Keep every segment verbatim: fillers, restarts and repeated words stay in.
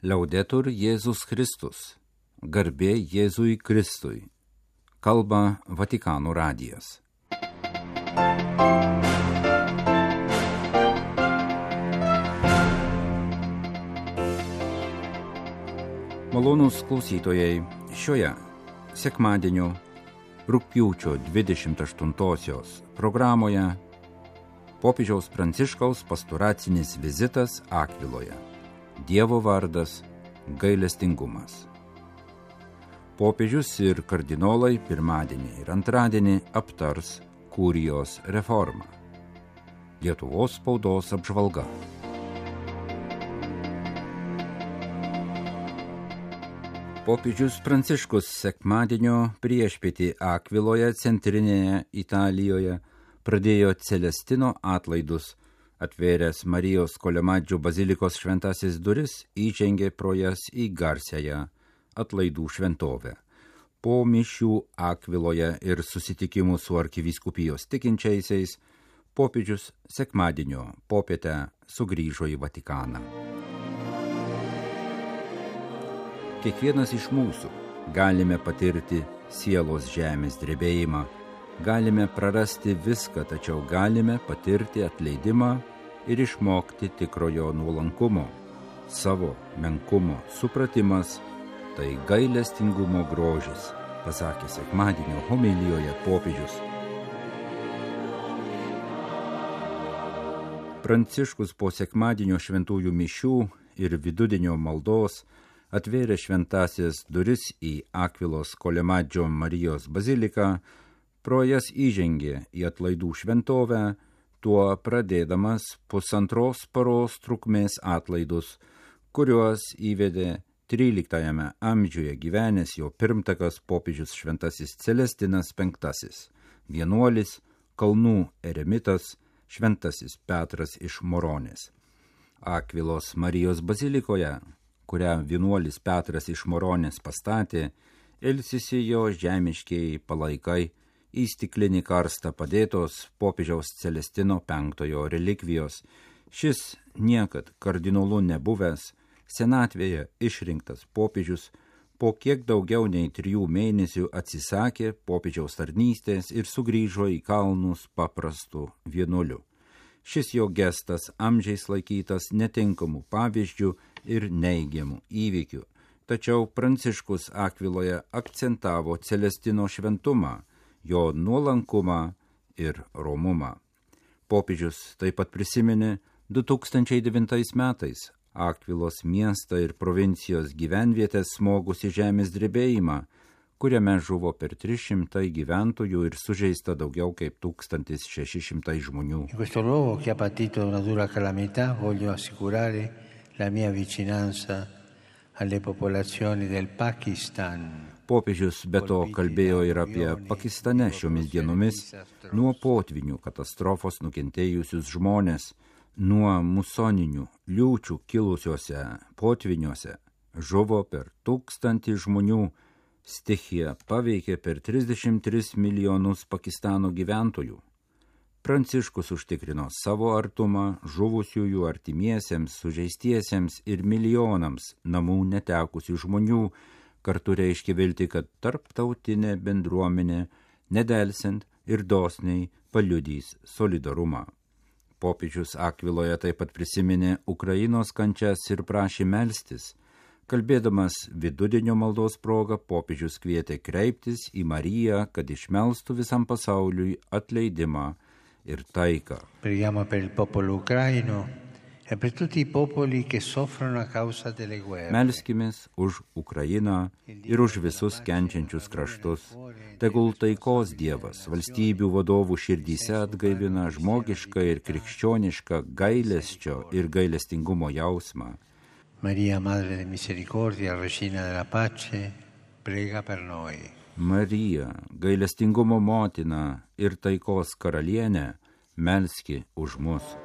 Liaudetur Jėzus Kristus. Garbė Jėzui Kristui. Kalba Vatikano radijas. Malonūs klausytojai, šioje sekmadienio rugpjūčio dvidešimt aštuntosios programoje popiežiaus Pranciškaus pastoracinis vizitas Akviloje. Dievo vardas gailestingumas. Popiežius ir kardinolai pirmadienį ir antradienį aptars kurijos reformą. Lietuvos spaudos apžvalga. Popiežius Pranciškus sekmadienio priešpietį Akviloje, centrinėje Italijoje, pradėjo Celestino atlaidus. Atvėręs Marijos Kolemadžio bazilikos šventasis duris, įžengė pro jas į garsiąją atlaidų šventovę. Po mišių Akviloje ir susitikimų su arkivyskupijos tikinčiaisiais, popiežius sekmadienio popietę sugrįžo į Vatikaną. Kiekvienas iš mūsų galime patirti sielos žemės drebėjimą, galime prarasti viską, tačiau galime patirti atleidimą ir išmokti tikrojo nuolankumo, savo menkumo supratimas, tai gailestingumo grožis, pasakė sekmadienio homilijoje popiežius. Pranciškus po sekmadienio šventųjų mišių ir vidudienio maldos atvėrė šventasias duris į Akvilos Kolemadžio Marijos baziliką, pro jas įžengė į atlaidų šventovę, tuo pradėdamas pusantros paros trukmės atlaidus, kuriuos įvedė tryliktajame amžiuje gyvenęs jo pirmtakas popiežius šventasis Celestinas penktasis, vienuolis, kalnų eremitas, šventasis Petras iš Moronės. Akvilos Marijos bazilikoje, kurią vienuolis Petras iš Moronės pastatė, ilsisi jo žemiškieji palaikai, į stiklinį karstą padėtos popiežiaus Celestino penktojo relikvijos. Šis niekad kardinolu nebuvęs, senatvėje išrinktas popiežius, po kiek daugiau nei trijų mėnesių atsisakė popiežiaus tarnystės ir sugrįžo į kalnus paprastu vienuoliu. Šis jo gestas amžiais laikytas netinkamų pavyzdžių ir neigiamų įvykių, tačiau Pranciškus Akviloje akcentavo Celestino šventumą, jo nuolankumą ir romumą. Popiežius taip pat prisiminė du tūkstančiai devintais metais Akvilos miestą ir provincijos gyvenvietės smogusi žemės drebėjimą, kuriame žuvo per tris šimtai gyventojų ir sužeista daugiau kaip tūkstantis šeši šimtai žmonių. In questo luogo che ha patito una dura calamità voglio assicurare la mia vicinanza alle popolazioni del Pakistan. Popiežius be to kalbėjo ir apie Pakistane šiomis dienomis nuo potvinių katastrofos nukentėjusius žmonės, nuo musoninių liūčių kilusiuose potviniuose žuvo per tūkstantį žmonių, stichija paveikė per trisdešimt tris milijonus Pakistano gyventojų. Pranciškus užtikrino savo artumą žuvusiųjų artimiesiems, sužeistiesiems ir milijonams namų netekusių žmonių, kartu reiškia vilti, kad tarptautinė bendruomenė nedelsiant ir dosniai paliudys solidarumą. Popiežius Akviloje taip pat prisiminė Ukrainos kančias ir prašė melstis. Kalbėdamas vidudienio maldos proga, popiežius kvietė kreiptis į Mariją, kad išmelstų visam pasauliui atleidimą ir taiką. Preghiamo per il popolo ucraino e per tutti i popoli che soffrono a causa delle guerre. Melskimės už Ukrainą ir už visus kenčiančius kraštus. Tegul taikos Dievas valstybių vadovų širdyse atgaivina žmogišką ir krikščionišką gailesčio ir gailestingumo jausmą. Maria, Madre de Misericordia, Regina della Pace, prega per noi. Marija, gailestingumo motina ir taikos karalienė, melski už mus.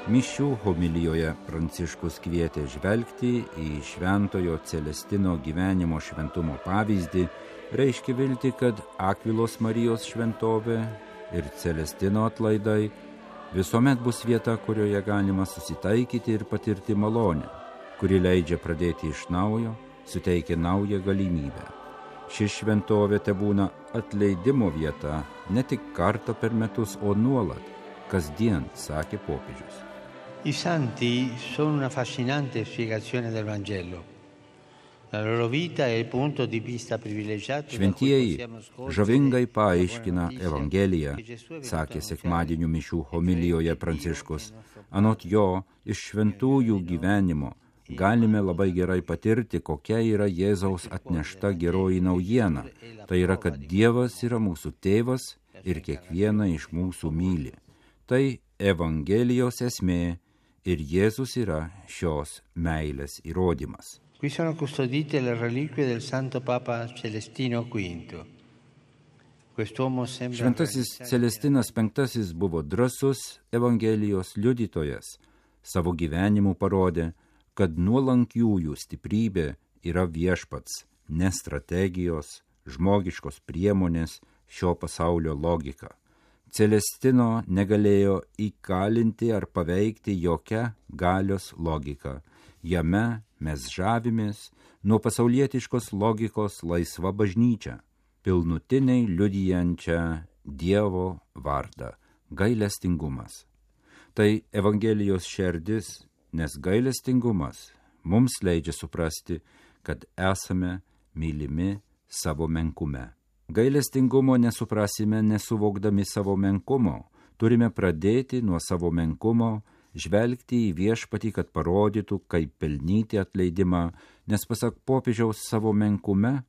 Mišių homilijoje Pranciškus kvietė žvelgti į šventojo Celestino gyvenimo šventumo pavyzdį, reiškia vilti, kad Akvilos Marijos šventovė ir Celestino atlaidai visuomet bus vieta, kurioje galima susitaikyti ir patirti malonę, kuri leidžia pradėti iš naujo, suteikia naują galimybę. Ši šventovė tebūna atleidimo vieta ne tik kartą per metus, o nuolat, kasdien, sakė popiežius. I santi sono una affascinante spiegazione del Vangelo. La loro vita è il punto di vista privilegiato. Šventieji žavingai paaiškina Evangeliją, sakė sekmadienio mišių homilijoje Pranciškus. Anot jo, iš šventųjų gyvenimo galime labai gerai patirti, kokia yra Jėzaus atnešta geroji naujiena. Tai yra, kad Dievas yra mūsų tėvas ir kiekvieną iš mūsų myli. Tai Evangelijos esmė ir Jėzus yra šios meilės įrodymas. Qui sono custodite le reliquie del Santo Papa Celestino quinto. Quest'uomo sembra... Šventasis Celestinas penktasis buvo drąsus Evangelijos liudytojas. Savo gyvenimu parodė, kad nuolankiųjų stiprybė yra viešpats, ne strategijos, žmogiškos priemonės, šio pasaulio logika. Celestino negalėjo įkalinti ar paveikti jokia galios logika. Jame mes žavimės nuo pasaulietiškos logikos laisva bažnyčia, pilnutiniai liudijančią Dievo vardą – gailestingumas. Tai Evangelijos šerdis, nes gailestingumas mums leidžia suprasti, kad esame mylimi savo menkume. Gailestingumo nesuprasime nesuvokdami savo menkumo. Turime pradėti nuo savo menkumo, žvelgti į viešpatį, kad parodytų, kaip pelnyti atleidimą, nes pasak popiežiaus savo menkume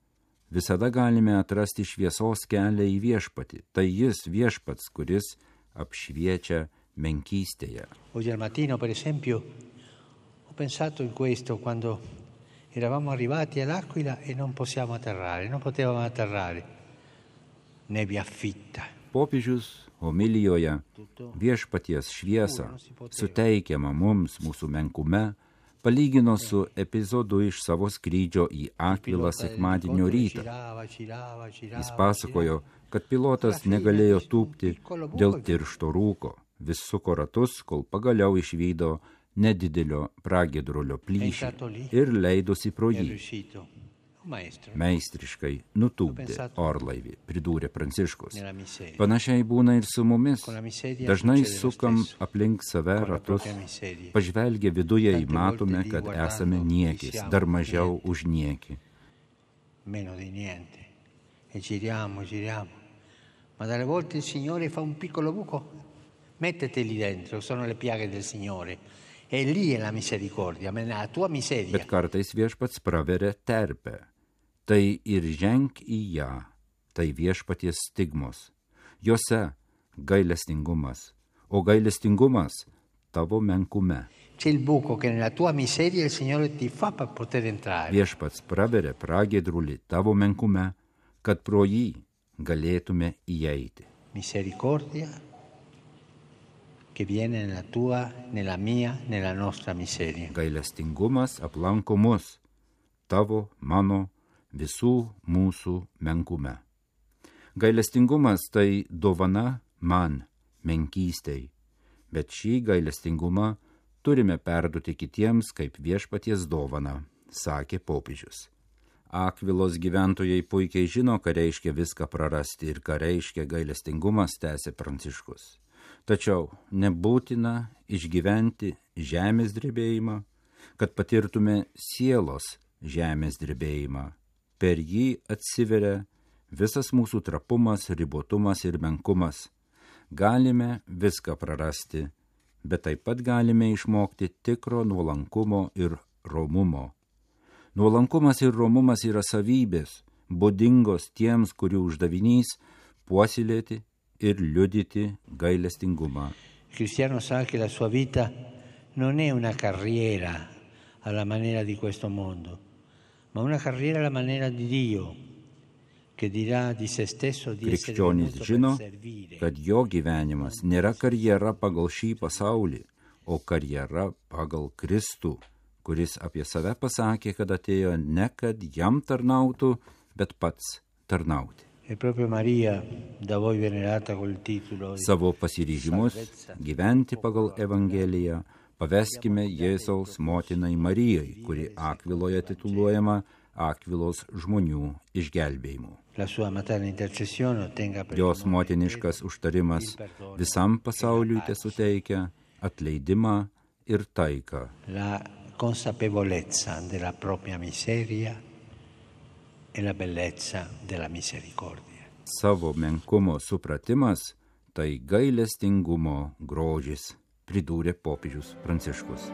visada galime atrasti šviesos kelią į viešpatį. Tai jis viešpats, kuris apšviečia menkystėje. Oggi al mattino, per esempio, ho pensato in questo quando eravamo arrivati all'Aquila e non possiamo atterrare, non potevamo atterrare. Nebbia fitta. Popiežius homilijoje viešpaties šviesą suteikiamą mums mūsų menkume palygino su epizodu iš savo skrydžio į Akvilą sekmadienio rytą. Jis pasakojo, kad pilotas negalėjo tūpti dėl tiršto rūko, vis suko ratus, kol pagaliau išvydo nedidelio pragiedrulio plyšį ir leidosi pro jį. Meistriškai nutūpdė orlaivį, pridūrė Pranciškus. Panašiai būna ir su mumis. Dažnai sukam aplink save ratus, pažvelgę viduje į matome, kad esame niekis, dar mažiau už niekį. Meno di niente. E giriamo, giriamo. Ma dalle volte il Signore fa un piccolo buco. Mettete lì dentro, sono le piaghe del Signore. E lì è la misericordia, la tua miseria. Bet kartais viešpats praveria terpę. Tai ir ženk į ją, tai viešpaties stigmos. Jose gailestingumas, o gailestingumas tavo menkume. C'è il buco che nella tua miseria il Signore ti fa per poter entrare. Viešpats praveria pragiedrulį tavo menkume, kad pro jį galėtume įeiti. Misericordia che viene nella tua, nella mia, nella nostra miseria. Gailestingumas aplanko mus, tavo, mano, visų mūsų menkume. Gailestingumas tai dovana man, menkystei, bet šį gailestingumą turime perduoti kitiems kaip viešpaties dovaną, sakė popiežius. Akvilos gyventojai puikiai žino, ką reiškia viską prarasti ir ką reiškia gailestingumas, tęsė Pranciškus. Tačiau nebūtina išgyventi žemės drebėjimą, kad patirtume sielos žemės drebėjimą. Per jį atsiveria visas mūsų trapumas, ribotumas ir menkumas. Galime viską prarasti, bet taip pat galime išmokti tikro nuolankumo ir romumo. Nuolankumas ir romumas yra savybės, būdingos tiems, kurių uždavinys puoselėti ir liudyti gailestingumą. Cristiano sa che la sua vita non è una carriera alla maniera di questo mondo, ma una carriera alla maniera di Dio, che dirà di se stesso di essere Krikščionys venuto žino, per servire. kad jo gyvenimas nėra karjera pagal šį pasaulį, o karjera pagal Kristų, kuris apie save pasakė, kad atėjo ne kad jam tarnautų, bet pats tarnauti. Savo pasiryžimus gyventi pagal Evangeliją paveskime Jėzaus motinai Marijai, kuri Akviloje tituluojama Akvilos žmonių išgelbėjimu. Jos motiniškas užtarimas visam pasauliui tesuteikia atleidimą ir taiką. La consapevolezza della propria miseria e la bellezza della misericordia. Savo menkumo supratimas tai gailestingumo grožis, pridūrė popiežius Pranciškus.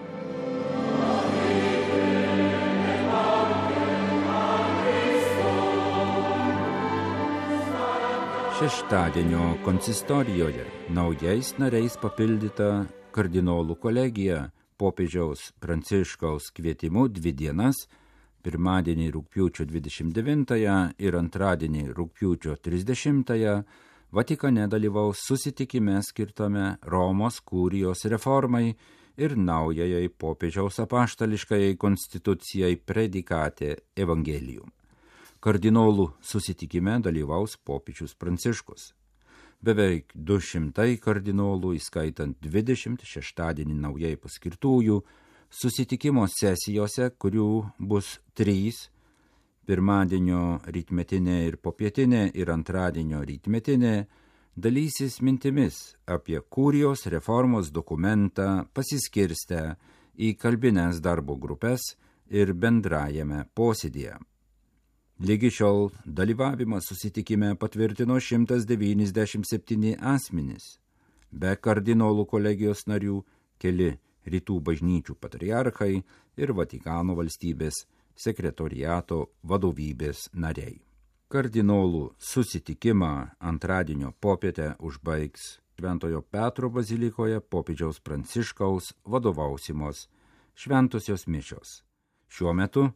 Šeštadienio konsistorijoje naujais nariais papildyta kardinolų kolegija popiežiaus Pranciškaus kvietimu dvi dienas, pirmadienį rugpjūčio dvidešimt devintąją ir antradienį rugpjūčio trisdešimtąją, Vatikane dalyvaus susitikime skirtame Romos kurijos reformai ir naujajai popiežiaus apaštališkajai konstitucijai Predikate Evangelium. Kardinolų susitikime dalyvaus popiežius Pranciškus. Beveik du šimtai kardinolų, įskaitant dvidešimt šeštadienį naujai paskirtųjų, susitikimo sesijose, kurių bus trys, pirmadienio rytmetinė ir popietinė ir antradienio rytmetinė, dalysis mintimis apie kurijos reformos dokumentą pasiskirstę į kalbines darbo grupės ir bendrajame posėdyje. Lygi šiol dalyvavimą susitikime patvirtino šimtas devyniasdešimt septyni asmenys. Be kardinolų kolegijos narių keli rytų bažnyčių patriarchai ir Vatikano valstybės sekretoriato vadovybės nariai. Kardinolų susitikimą antradienio popietę užbaigs Šventojo Petro bazilikoje popiežiaus Pranciškaus vadovausimos šventosios mišios. Šiuo metu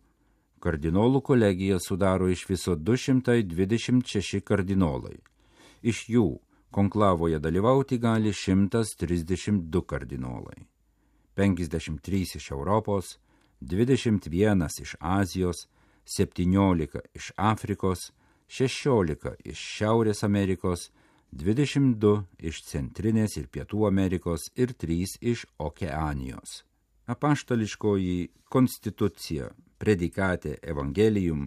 kardinolų kolegija sudaro iš viso du šimtai dvidešimt šeši kardinolai. Iš jų konklavoje dalyvauti gali šimtas trisdešimt du kardinolai. penkiasdešimt trys iš Europos, dvidešimt vienas iš Azijos, septyniolika iš Afrikos, šešiolika iš Šiaurės Amerikos, dvidešimt du iš Centrinės ir Pietų Amerikos ir trys iš Okeanijos. Apaštališkoji konstitucija Predikate Evangelium,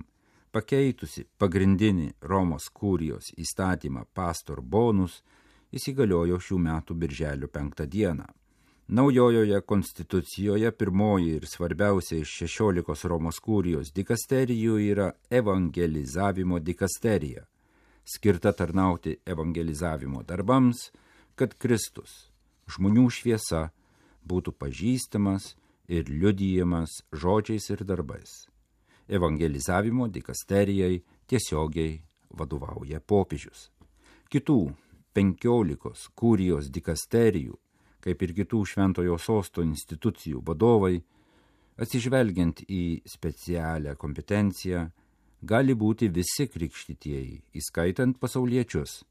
pakeitusi pagrindinį Romos kurijos įstatymą Pastor Bonus, įsigaliojo šių metų birželio penktą dieną. Naujojoje konstitucijoje pirmoji ir svarbiausia iš šešiolikos Romos kurijos dikasterijų yra evangelizavimo dikasterija, skirta tarnauti evangelizavimo darbams, kad Kristus, žmonių šviesa, būtų pažįstamas ir liudijamas žodžiais ir darbais. Evangelizavimo dikasterijai tiesiogiai vadovauja popiežius. Kitų penkiolikos kurijos dikasterijų, kaip ir kitų šventojo sosto institucijų vadovai, atsižvelgiant į specialią kompetenciją, gali būti visi krikštytieji, įskaitant pasauliečius,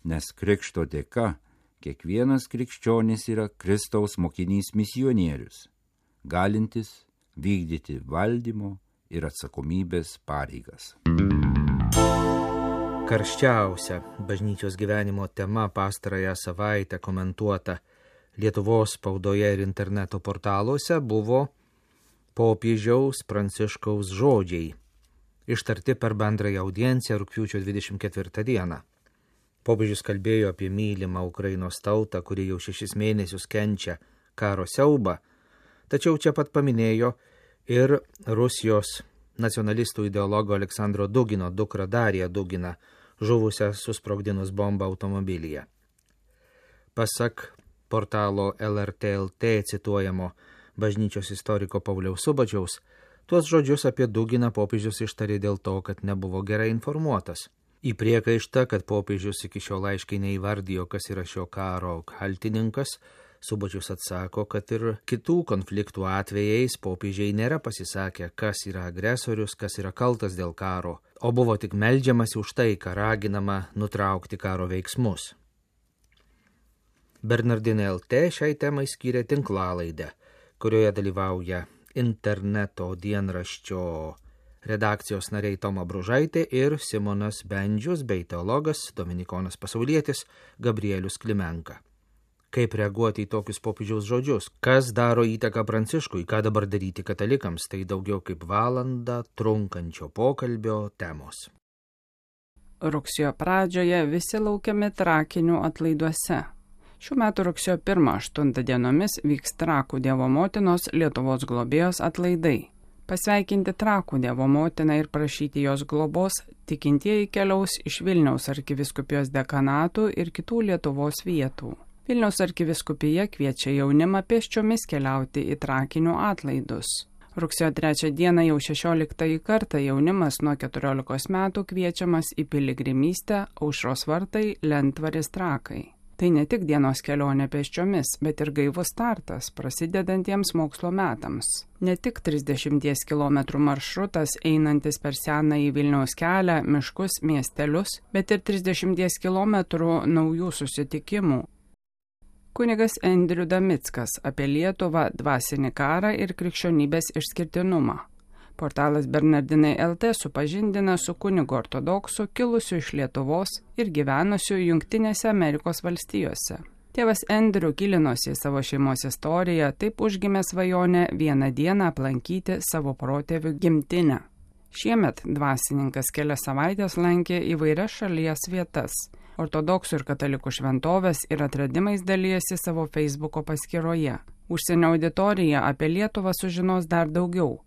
nes krikšto dėka kiekvienas krikščionis yra Kristaus mokinys misionierius, galintis vykdyti valdymo ir atsakomybės pareigas. Karščiausia bažnyčios gyvenimo tema pastarąją savaitę komentuota Lietuvos spaudoje ir interneto portaluose buvo popiežiaus Pranciškaus žodžiai, ištarti per bendrąją audienciją rugpjūčio dvidešimt ketvirtą dieną. Popiežius kalbėjo apie mylimą Ukrainos tautą, kuri jau šešis mėnesius kenčia karo siaubą, tačiau čia pat paminėjo ir Rusijos nacionalistų ideologo Aleksandro Dugino dukrą Dariją Duginą, žuvusią susprogdinus bombą automobilyje. Pasak portalo L R T L T cituojamo bažnyčios istoriko Pauliaus Subačiaus, tuos žodžius apie Duginą popiežius ištarė dėl to, kad nebuvo gerai informuotas. Į priekaištą, kad popiežius iki šiol aiškiai neįvardijo, kas yra šio karo kaltininkas, Subačius atsako, kad ir kitų konfliktų atvejais popiežiai nėra pasisakę, kas yra agresorius, kas yra kaltas dėl karo, o buvo tik meldžiamasi už tai, ką raginama nutraukti karo veiksmus. Bernardinai L T šiai temai skyrė tinklalaidę, kurioje dalyvauja interneto dienraščio redakcijos nariai Toma Bružaitė ir Simonas Bendžius bei teologas Dominikonas pasaulietis Gabrielius Klimenka. Kaip reaguoti į tokius popiežiaus žodžius? Kas daro įtaką Pranciškui? Ką dabar daryti katalikams? Tai daugiau kaip valandą trunkančio pokalbio temos. Rugsėjo pradžioje visi laukiami Trakinių atlaiduose. Šių metų rugsėjo pirmą aštuntą dienomis vyks Trakų Dievo motinos Lietuvos globėjos atlaidai. Pasveikinti Trakų Dievo motiną ir prašyti jos globos tikintieji keliaus iš Vilniaus arkivyskupijos dekanatų ir kitų Lietuvos vietų. Vilniaus arkivyskupija kviečia jaunimą pėsčiomis keliauti į Trakinių atlaidus. Rugsėjo trečią dieną jau šešioliktąjį kartą jaunimas nuo keturiolikos metų kviečiamas į piligrimystę Aušros vartai Lentvaris Trakai. Tai ne tik dienos kelionė pėsčiomis, bet ir gaivus startas prasidedantiems mokslo metams. Ne tik trisdešimties kilometrų maršrutas einantis per senąjį Vilniaus kelią, miškus, miestelius, bet ir trisdešimties kilometrų naujų susitikimų. Kunigas Endriu Damickas apie Lietuvą, dvasinį karą ir krikščionybės išskirtinumą. Portalas Bernardinai L T supažindina su kunigu ortodoksu kilusiu iš Lietuvos ir gyvenusiu Jungtinėse Amerikos valstijose. Tėvas Endriu gilinosi į savo šeimos istoriją, taip užgimė svajonę vieną dieną aplankyti savo protėvių gimtinę. Šiemet dvasininkas kelias savaitės lankė įvairias šalies vietas. Ortodoksų ir katalikų šventovės ir atradimais dalyjasi savo Facebooko paskyroje. Užsienio auditorija apie Lietuvą sužinos dar daugiau.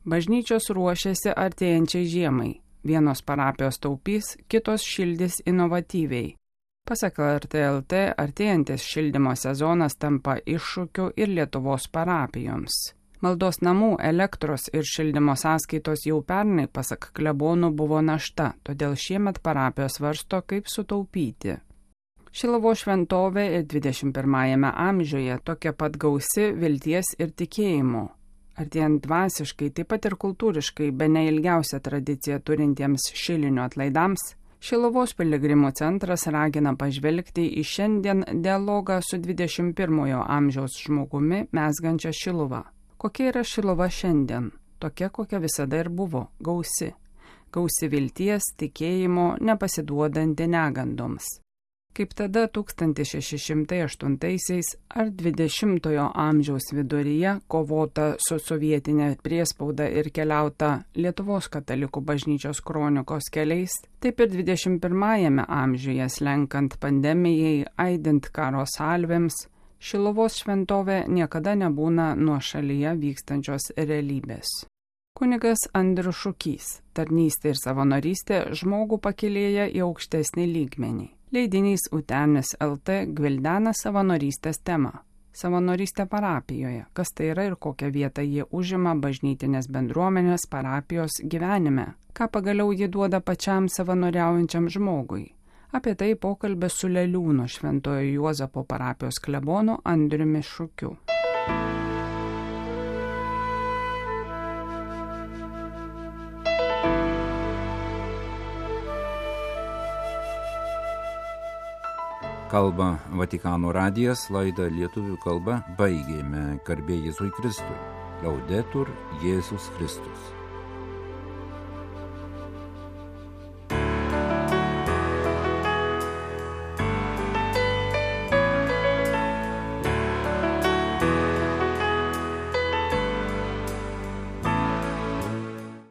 Bažnyčios ruošiasi artėjančiai žiemai. Vienos parapijos taupys, kitos šildys inovatyviai. Pasak L R T L T, artėjantis šildymo sezonas tampa iššūkiu ir Lietuvos parapijoms. Maldos namų, elektros ir šildymo sąskaitos jau pernai, pasak klebonų, buvo našta, todėl šiemet parapijos svarsto, kaip sutaupyti. Šiluvos šventovė ir dvidešimt pirmajame amžiuje tokia pat gausi vilties ir tikėjimo. Artėjant dvasiškai, taip pat ir kultūriškai, bene ilgiausią tradiciją turintiems šilinių atlaidams, Šiluvos piligrimų centras ragina pažvelgti į šiandien dialogą su dvidešimt pirmojo amžiaus žmogumi mezgančią Šiluvą. Kokia yra Šiluva šiandien? Tokia, kokia visada ir buvo, gausi. Gausi vilties, tikėjimo, nepasiduodanti negandoms. Kaip tada tūkstantis šeši šimtai aštuntaisiais ar dvidešimtojo amžiaus viduryje kovota su sovietinė priespauda ir keliauta Lietuvos katalikų bažnyčios kronikos keliais, taip ir dvidešimt pirmajame amžiuje slenkant pandemijai, aidint karo salvėms, Šiluvos šventovė niekada nebūna nuo šalyje vykstančios realybės. Kunigas Andrius Šukys, tarnystė ir savanorystė žmogų pakilėja į aukštesnį lygmenį. Leidinys Utenis L T gvildena savanorystės temą. Savanorystė parapijoje, kas tai yra ir kokią vietą jie užima bažnytinės bendruomenės parapijos gyvenime, ką pagaliau jie duoda pačiam savanoriaujančiam žmogui. Apie tai pokalbė su Leliūno Šventojo Juozapo parapijos klebonu Andriumi Šukiu. Kalba Vatikano radijas, laidą lietuvių kalba baigėme. Garbė Jėzui Kristui. Laudetur Jėzus Kristus.